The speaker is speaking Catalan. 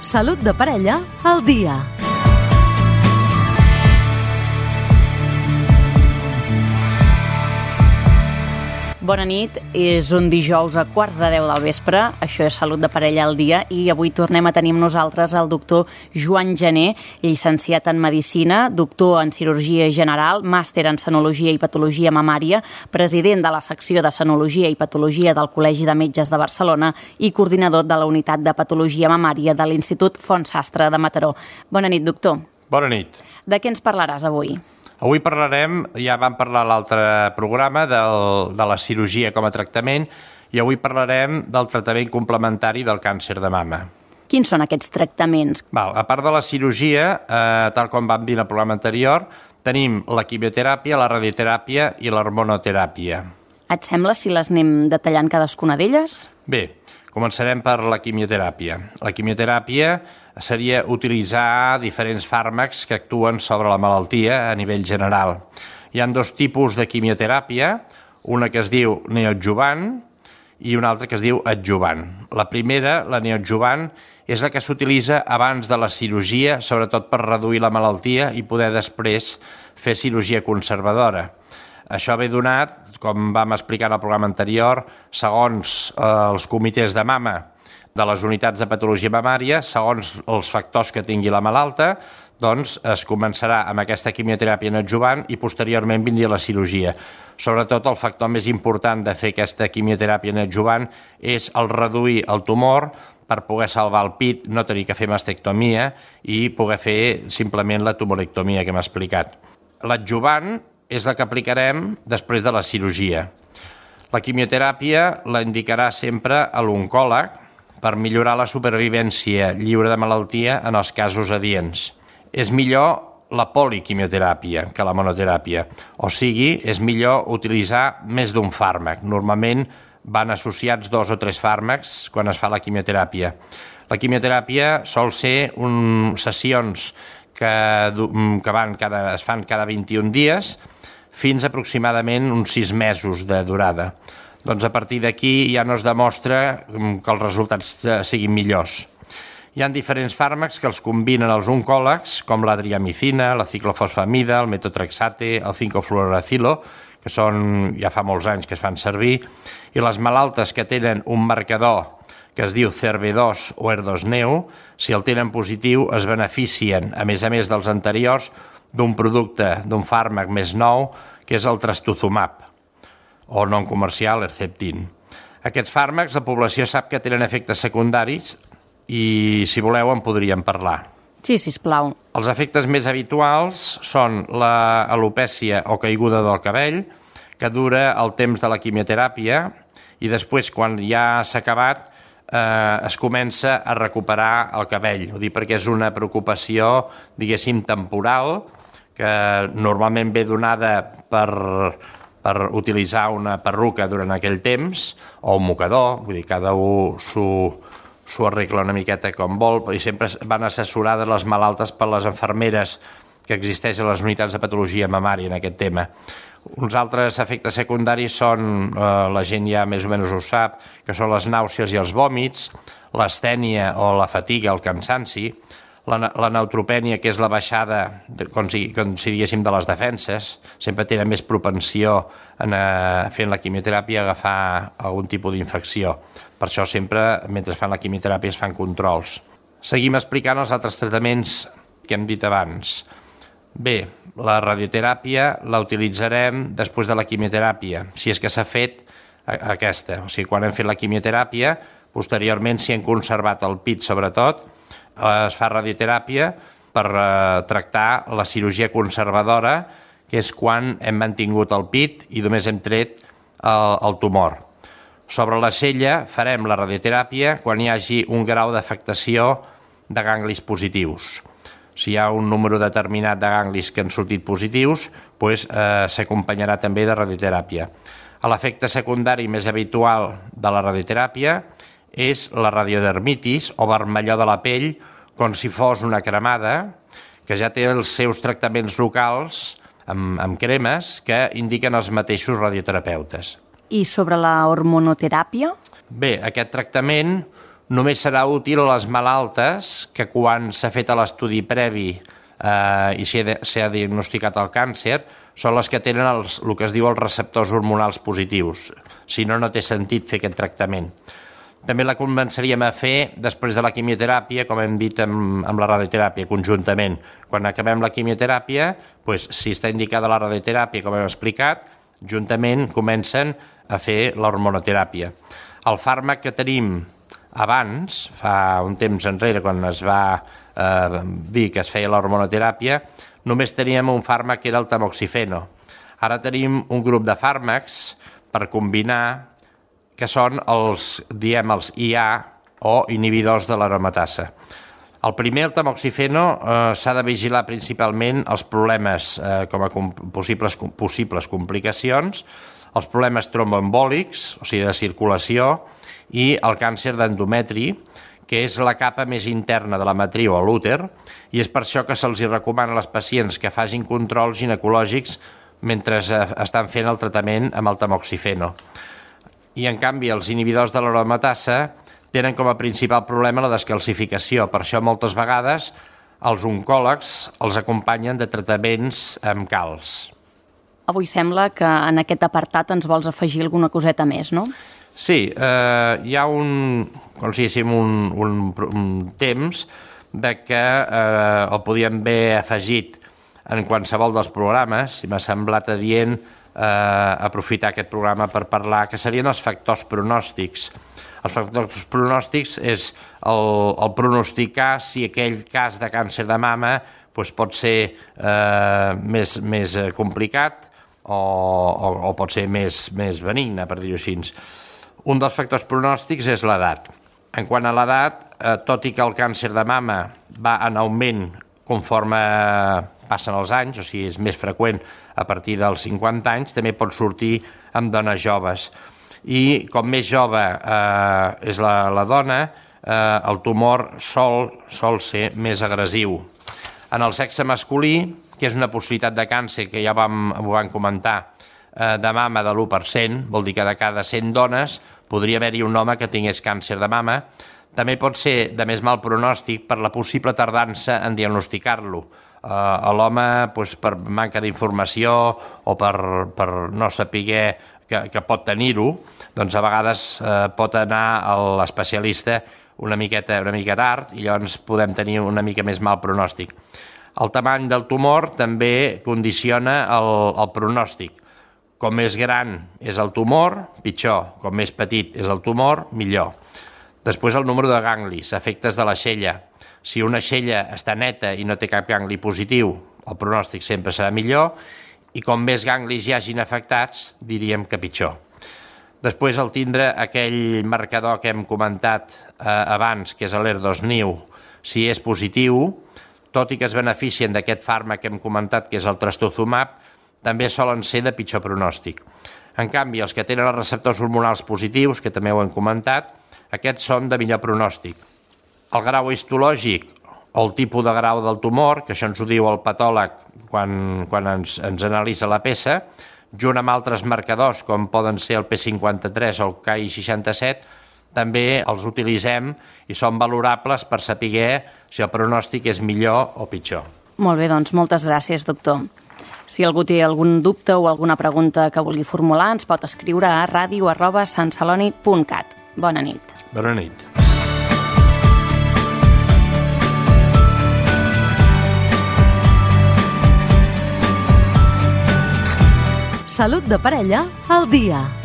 Salut de parella al dia. Bona nit, és un dijous a 9:15 del vespre, això és Salut de parella al dia i avui tornem a tenir amb nosaltres el doctor Joan Gené, llicenciat en Medicina, doctor en Cirurgia General, màster en Senologia i Patologia Mamària, president de la secció de Senologia i Patologia del Col·legi de Metges de Barcelona i coordinador de la Unitat de Patologia Mamària de l'Institut Font Sastre de Mataró. Bona nit, doctor. Bona nit. De què ens parlaràs avui? Avui parlarem, ja vam parlar a l'altre programa, de la cirurgia com a tractament i avui parlarem del tractament complementari del càncer de mama. Quins són aquests tractaments? A part de la cirurgia, tal com vam dir en el programa anterior, tenim la quimioteràpia, la radioteràpia i l'hormonoteràpia. Et sembla si les anem detallant cadascuna d'elles? Bé, començarem per la quimioteràpia. La quimioteràpia seria utilitzar diferents fàrmacs que actuen sobre la malaltia a nivell general. Hi ha dos tipus de quimioteràpia, una que es diu neoadjuvant i una altra que es diu adjuvant. La primera, la neoadjuvant, és la que s'utilitza abans de la cirurgia, sobretot per reduir la malaltia i poder després fer cirurgia conservadora. Això ve donat, com vam explicar en el programa anterior, segons els comitès de mama de les unitats de patologia mamària, segons els factors que tingui la malalta, doncs es començarà amb aquesta quimioteràpia neoadjuvant i posteriorment vindria la cirurgia. Sobretot el factor més important de fer aquesta quimioteràpia neoadjuvant és el reduir el tumor per poder salvar el pit, no tenir que fer mastectomia i poder fer simplement la tumorectomia que hem explicat. L'adjuvant és la que aplicarem després de la cirurgia. La quimioteràpia la indicarà sempre a l'oncòleg per millorar la supervivència lliure de malaltia en els casos adients. És millor la poliquimioteràpia que la monoteràpia, o sigui, és millor utilitzar més d'un fàrmac. Normalment van associats 2 o 3 fàrmacs quan es fa la quimioteràpia. La quimioteràpia sol ser sessions que es fan cada 21 dies fins aproximadament uns 6 mesos de durada. Doncs a partir d'aquí ja no es demostra que els resultats siguin millors. Hi ha diferents fàrmacs que els combinen els oncòlegs, com l'adriamicina, la ciclofosfamida, el metotrexate, el 5-fluoracilo, que són ja fa molts anys que es fan servir, i les malaltes que tenen un marcador que es diu CERV2 o ER2-neu, si el tenen positiu, es beneficien, a més dels anteriors, d'un producte, d'un fàrmac més nou, que és el trastuzumab, o non comercial, Herceptin. Aquests fàrmacs, la població sap que tenen efectes secundaris i, si voleu, en podríem parlar. Sí, sisplau. Els efectes més habituals són l'alopècia o caiguda del cabell, que dura el temps de la quimioteràpia i després, quan ja s'ha acabat, es comença a recuperar el cabell. Ho dic perquè és una preocupació, diguéssim, temporal, que normalment ve donada per utilitzar una perruca durant aquell temps, o un mocador, vull dir, cada un s'ho arregla una miqueta com vol, i sempre van assessorades les malaltes per les infermeres que existeixen a les unitats de patologia mamària en aquest tema. Uns altres efectes secundaris són, la gent ja més o menys ho sap, que són les nàusees i els vòmits, l'astènia o la fatiga, el cansanci, la neutropènia, que és la baixada, com si diguéssim, de les defenses, sempre tenen més propensió fent la quimioteràpia a agafar algun tipus d'infecció. Per això sempre, mentre fan la quimioteràpia, es fan controls. Seguim explicant els altres tractaments que hem dit abans. Bé, la radioteràpia la utilitzarem després de la quimioteràpia, si és que s'ha fet aquesta. O sigui, quan hem fet la quimioteràpia, posteriorment, si hem conservat el pit, sobretot, es fa radioteràpia per tractar la cirurgia conservadora, que és quan hem mantingut el pit i només hem tret el tumor. Sobre la cella farem la radioteràpia quan hi hagi un grau d'afectació de ganglis positius. Si hi ha un número determinat de ganglis que han sortit positius, s'acompanyarà també de radioteràpia. L'efecte secundari més habitual de la radioteràpia és la radiodermitis o vermellor de la pell, com si fos una cremada, que ja té els seus tractaments locals amb cremes que indiquen els mateixos radioterapeutes. I sobre la hormonoteràpia? Bé, aquest tractament només serà útil a les malaltes que quan s'ha fet l'estudi previ i s'ha diagnosticat el càncer són les que tenen el que es diu els receptors hormonals positius. Si no, no té sentit fer aquest tractament. També la començaríem a fer després de la quimioteràpia, com hem dit amb la radioteràpia, conjuntament. Quan acabem la quimioteràpia, si està indicada la radioteràpia, com hem explicat, juntament comencen a fer l'hormonoteràpia. El fàrmac que tenim abans, fa un temps enrere, quan es va dir que es feia l'hormonoteràpia, només teníem un fàrmac que era el tamoxifeno. Ara tenim un grup de fàrmacs per combinar que són els IA o inhibidors de l'aromatasa. El primer, el tamoxifeno, s'ha de vigilar principalment els problemes com a possibles complicacions, els problemes tromboembòlics, o sigui, de circulació, i el càncer d'endometri, que és la capa més interna de la matriu a l'úter, i és per això que se'ls recomana a les pacients que facin controls ginecològics mentre estan fent el tractament amb el tamoxifeno. I, en canvi, els inhibidors de l'aromatasa tenen com a principal problema la descalcificació. Per això, moltes vegades, els oncòlegs els acompanyen de tractaments amb calç. Avui sembla que en aquest apartat ens vols afegir alguna coseta més, no? Sí, hi ha un temps de que el podíem haver afegit en qualsevol dels programes, i m'ha semblat adient aprofitar aquest programa per parlar, que serien els factors pronòstics. Els factors pronòstics és el pronosticar si aquell cas de càncer de mama pot ser més complicat o pot ser més benigne, per dir-ho així. Un dels factors pronòstics és l'edat. En quant a l'edat, tot i que el càncer de mama va en augment conforme passen els anys, o sigui, és més freqüent a partir dels 50 anys, també pot sortir amb dones joves. I com més jove és la dona, el tumor sol ser més agressiu. En el sexe masculí, que és una possibilitat de càncer que ja ho vam comentar, de mama de l'1%, vol dir que de cada 100 dones podria haver-hi un home que tingués càncer de mama. També pot ser de més mal pronòstic per la possible tardança en diagnosticar-lo. L'home, per manca d'informació o per no saber que pot tenir-ho, doncs a vegades pot anar a l'especialista una miqueta tard i llavors podem tenir una mica més mal pronòstic. El tamany del tumor també condiciona el pronòstic. Com més gran és el tumor, pitjor. Com més petit és el tumor, millor. Després el número de ganglis, efectes de la xella. Si una xella està neta i no té cap gangli positiu, el pronòstic sempre serà millor, i com més ganglis hi hagin afectats, diríem que pitjor. Després, el tindre aquell marcador que hem comentat abans, que és l'ER2-NIU, si és positiu, tot i que es beneficien d'aquest fàrmac que hem comentat, que és el trastuzumab, també solen ser de pitjor pronòstic. En canvi, els que tenen els receptors hormonals positius, que també ho hem comentat, aquests són de millor pronòstic. El grau histològic o el tipus de grau del tumor, que això ens ho diu el patòleg quan ens analitza la peça, junt amb altres marcadors com poden ser el P53 o el Ki67, també els utilitzem i són valorables per saber si el pronòstic és millor o pitjor. Molt bé, doncs moltes gràcies, doctor. Si algú té algun dubte o alguna pregunta que vulgui formular, ens pot escriure a radio@santceloni.cat. Bona nit. Bona nit. Salut de parella al dia.